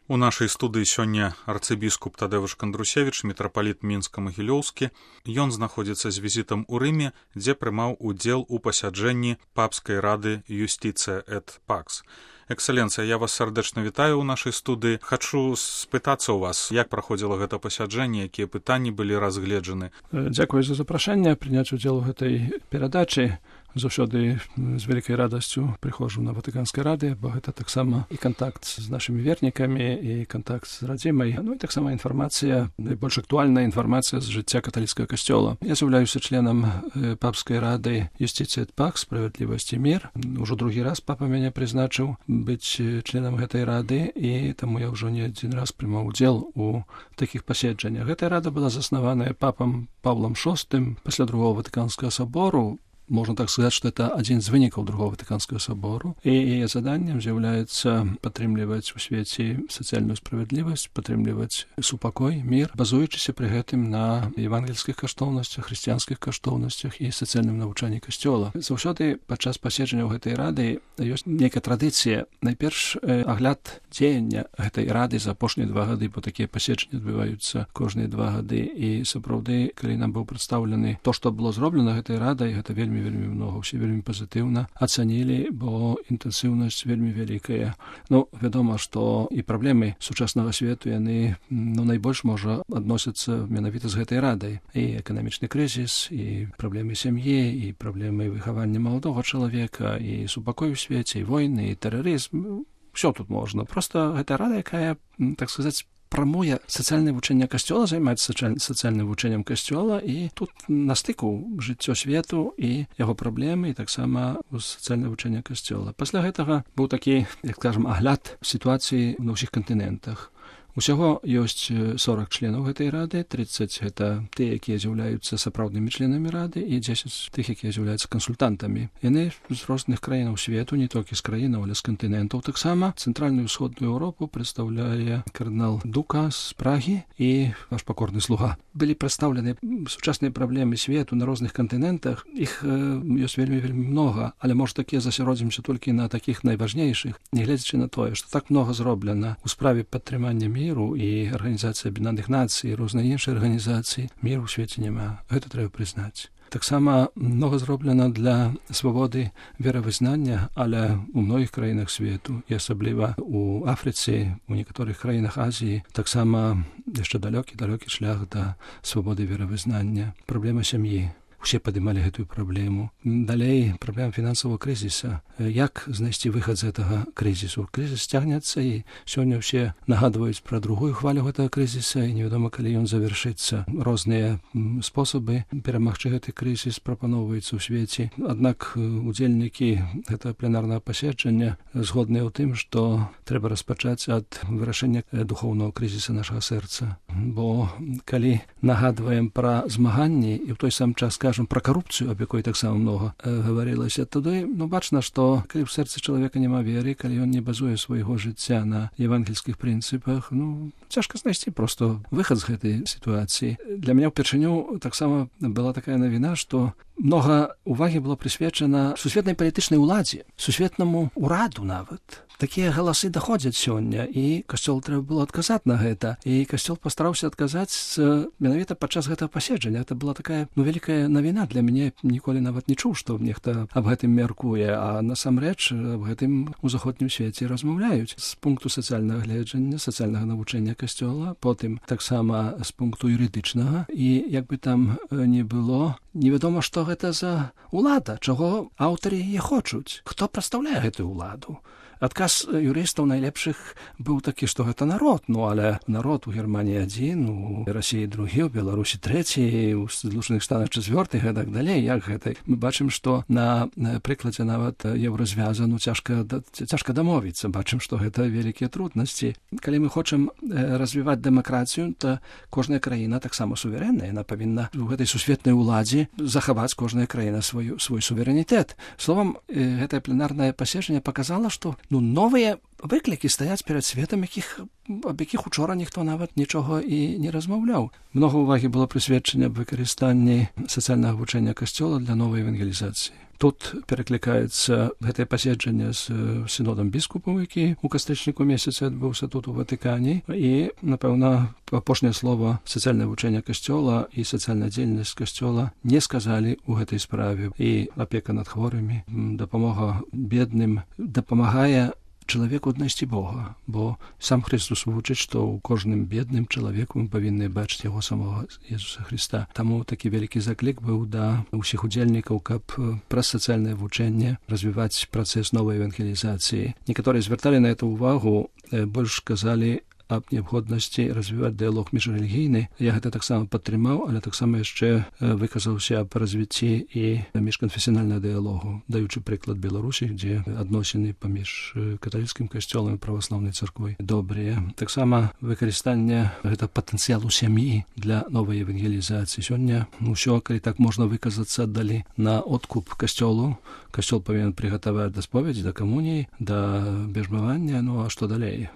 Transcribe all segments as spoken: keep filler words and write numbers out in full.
У нашай студыі сёння арцыбіскуп Тадэвуш Кандрусевіч, мітрапаліт Мінска-Магілёўскі. Ён знаходзіцца з візітам у Рыме, дзе прымаў удзел у пасяджэнні папскай рады Юстицыя эт Пакс. Экселенцыя, я вас сардэчна вітаю ў нашай студыі. Хачу спытацца ў вас, як праходзіла гэта пасяджэнне, якія пытанні былі разгледжаны. Дзякуй за запрашэнне прыняць удзел у гэтай перадачы. Заўсёды з вялікай радасцю прыходжу на Ватыканскай рады, бо гэта таксама і кантакт з нашымі вернікамі, і кантакт з радзімай, ну і таксама інфармацыя, найбольш актуальная інфармацыя з жыцця каталіцкага касцёла. Я з'яўляюся членам папскай рады Юстицыя эт Пакс, справядлівасць і мір. Ужо другі раз папа мяне прызначыў быць членам гэтай рады, і таму я ўжо не адзін раз прымаў удзел у такіх паседжаннях. Гэтая рада была заснаваная папам Павлам шостым пасля другого Ватыканскага сабору. Можно так сказать, что это один из вынікаў другого Ватыканскага собору. И яе заданнем з'яўляецца падтрымліваць у свеце сацыяльную справядлівасць, падтрымліваць супакой, мір, базуючыся пры гэтым на евангельскіх каштоўнасцях, хрысціянскіх каштоўнасцях і сацыяльным навучанні касцёла. Заўсёды падчас паседжанняў гэтай рады ёсць нейкая традыцыя. Найперш агляд дзеяння гэтай рады за апошнія два гады, бо такія паседжанні адбываюцца кожныя два гады. І сапраўды, калі нам быў прадстаўлены то, што было зроблена гэтай радай, гэта вельмі вельмі много, усе вельмі пазітыўна ацанілі, бо інтэнсіўнасць вельмі вялікая. Ну, вядома, што і праблемы сучаснага свету, яны, ну, найбольш, можа, адносяцца менавіта з гэтай радай. І эканамічны крызіс, і праблемы сям'і, і праблемы выхавання маладога чалавека, і супакой у свеце, і войны, і тэрарызм. Всё тут можна. Просто гэта рада, якая, так сказаць, прамуе сацыяльнае вучэнне касцёла, займаецца сацыяльным вучэннем касцёла, і тут на стыку жыццё свету і яго праблемы, і таксама сацыяльнае вучэнне касцёла. Пасля гэтага быў такі, як скажам, агляд сітуацыі на ўсіх кантынентах. Усяго ёсць сорок членаў гэтай рады, тридцать гэта тыя, якія з'яўляюцца сапраўднымі членамі рады, і дзесяць тых, якія з'яўляюцца кансультантамі. Яны з розных краінаў свету, не толькі з краінаў, але з кантынентаў таксама. Цэнтральную і ўсходную Еўропу прадстаўляе кардынал Дука з Прагі і ваш пакорны слуга. Былі прадстаўлены сучасныя праблемы свету на розных кантынентах. Іх ёсць вельмі вельмі многа, але можа такі засяродзімся толькі на такіх найважнейшых, нягледзячы на тое, што так многа зроблена ў справе падтрымання міру і Арганізацыя Аб'яднаных Нацый, і розныя іншыя арганізацыі, міру ў свеце няма. Гэта трэба прызнаць. Таксама многа зроблена для свабоды веравызнання, але ў многіх краінах свету, і асабліва ў Афрыцы, у некаторых краінах Азіі, таксама яшчэ далёкі-далёкі шлях да свабоды веравызнання. Праблема сям'і. Усе падымалі гэтую праблему. Далей, праблема фінансавага крызіса. Як знайсці выхад з гэтага крызісу? Крызіс цягнецца, і сёння ўсе нагадваюць пра другую хвалю гэтага крызіса, і невядома, калі ён завяршыцца. Розныя спосабы перамагчы гэты крызіс прапаноўваюцца ў свеце. Аднак удзельнікі гэтага пленарнага паседжання згодныя ў тым, што трэба распачаць ад вырашэння духоўнага крызіса нашага сэрца. Бо калі нагадваем пра змаганні, і ў той сам час пра карупцыю, аб якой таксама многа гаварылася, тады, ну, бачна, што калі ў сэрцы чалавека няма веры, калі ён не базуе свайго жыцця на евангельскіх прынцыпах, ну, цяжка знайсці проста выхад з гэтай сітуацыі. Для мяне ўпершыню таксама была такая навіна, што многа увагі было прысвечана сусветнай палітычнай уладзе, сусветнаму ўраду нават. Такія галасы даходзяць сёння, і касцёл трэба было адказаць на гэта. І касцёл пастараўся адказаць менавіта падчас гэтага паседжання. Гэта была такая, ну, вялікая навіна для мяне. Ніколі нават не чуў, што нехта аб гэтым мяркуе, а насамрэч аб гэтым у заходнім свеце размаўляюць. З пункту сацыяльнага гледжання, сацыяльнага навучання касцёла, потым таксама з пункту юрыдычнага. І як бы там не было, невядома, што гэта за ўлада, чаго аўтары яе хочуць, хто прадстаўляе гэтую ўладу. Адказ юрыстаў найлепшых быў такі, што гэта народ, ну, але народ у Германіі адзін, у Расіі другі, у Беларусі трэці, у Злучаных Штатах чацвёрты, і так далей. Як гэта? Мы бачым, што на прыкладзе нават еўразвяза, ну, цяжка, цяжка дамовіцца. Бачым, што гэта вялікія труднасці. Калі мы хочам развіваць дэмакратыю, то кожная краіна таксама суверэнная. Яна павінна у гэтай сусветнай уладзе захаваць кожная краіна свой, свой суверэнітэт. Словам, гэтае пленарнае паседжанне паказала, што, ну, новыя выклікі стаяць перад светам, якіх, аб якіх учора ніхто нават нічога і не размаўляў. Многа ўвагі было прысвечана аб выкарыстанні сацыяльнага вучэння касцёла для новай евангелізацыі. Тут пераклікаецца гэтае паседжанне з сінодам біскупаў, які ў кастрычніку месяцы адбыўся тут у Ватыкане, і, напэўна, апошняе слова сацыяльнае вучэнне касцёла і сацыяльная дзейнасць касцёла не сказалі ў гэтай справе. І апека над хворымі, дапамога бедным дапамагае чалавеку аднайсці Бога, бо сам Христос вучыць, што ў кожным бедным чалавеку мы павінны бачыць яго самого Jesуса Христа. Таму такі вялікі заклік быў да ўсіх удзельнікаў, каб праз сацыяльнае вучэнне развіваць працэс новай евангелізацыі. Некаторыя звярталі на это ўвагу, больш казалі аб неабходнасці развіваць дыялог міжрэлігійны. Я гэта таксама падтрымаў, але таксама яшчэ выказаўся аб развіцці і міжканфесіянальнага дыялогу, даючы прыклад Беларусі, дзе адносіны паміж каталіцкім касцёлам і праваслаўнай царквой добрыя. Таксама выкарыстанне гэта патэнцыялу сям'і для новай евангелізацыі. Сёння ўсё, калі так можна выказацца, аддалі на откуп касцёлу. Касцёл павінен прыгатаваць да споведзі, да камуніі, да бяжмавання, ну а што далей?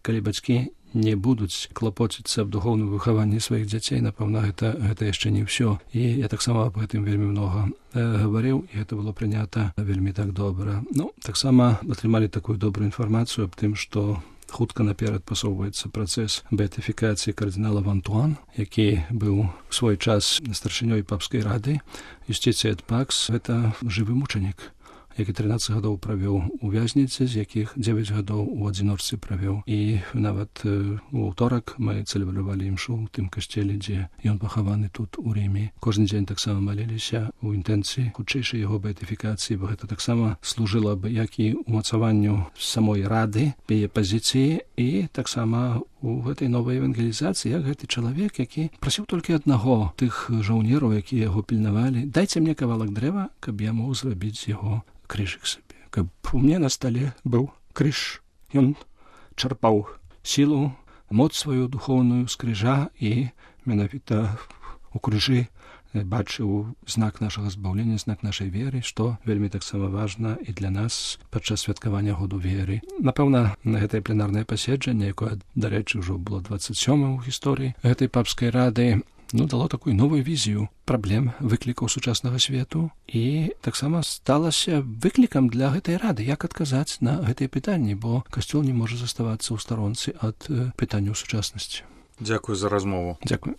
Калі бацькі не будуць клапоціцца аб духоўным выхаванні сваіх дзяцей, напэўна, гэта, гэта яшчэ не ўсё. І я таксама аб гэтым вельмі многа э, гаварыў, і гэта было прынята вельмі так добра. Ну, таксама атрымалі такую добрую інфармацыю аб тым, што хутка наперад пасоўваецца працэс беатыфікацыі кардынала Вантуан, які быў у свой час старшынёй папскай рады. Юстицыя эт пакс — гэта жывы мучанік, які трынаццаць гадоў правёў у вязніцы, з якіх дзевяць гадоў у адзіночцы правёў. І нават у аўторак мы цэлебравалі імшу ў тым касцеле, дзе ён пахаваны тут у Рыме. Кожны дзень таксама маліліся ў інтэнцыі хутчэйшай яго беатыфікацыі, бо гэта таксама служыла б як і ўмацаванню самой рады, яе пазіцыі, і таксама у гэтай новай евангелізацыі, як гэты чалавек, які прасіў толькі аднаго, тых жаўнераў, якія яго пільнавалі: дайце мне кавалак дрэва, каб я мог зрабіць з яго крыжык сабе, каб у мне на стале быў крыж. Ён чарпаў сілу, моц сваю духоўную з крыжа, і менавіта у крыжы бачыў знак нашага збаўлення, знак нашай веры, што вельмі таксама важна і для нас падчас святкавання году веры. Напэўна, на гэтае пленарнае паседжанне, якое, дарэчы, ўжо было дваццаць сёмым у гісторыі гэтай папскай рады, ну, дало такую новую візію праблем, выклікаў сучаснага свету, і таксама сталася выклікам для гэтай рады, як адказаць на гэтыя пытанні, бо касцёл не можа заставацца ў старонцы ад пытанняў сучаснасці. Дзякуй за размову. Дзякуй.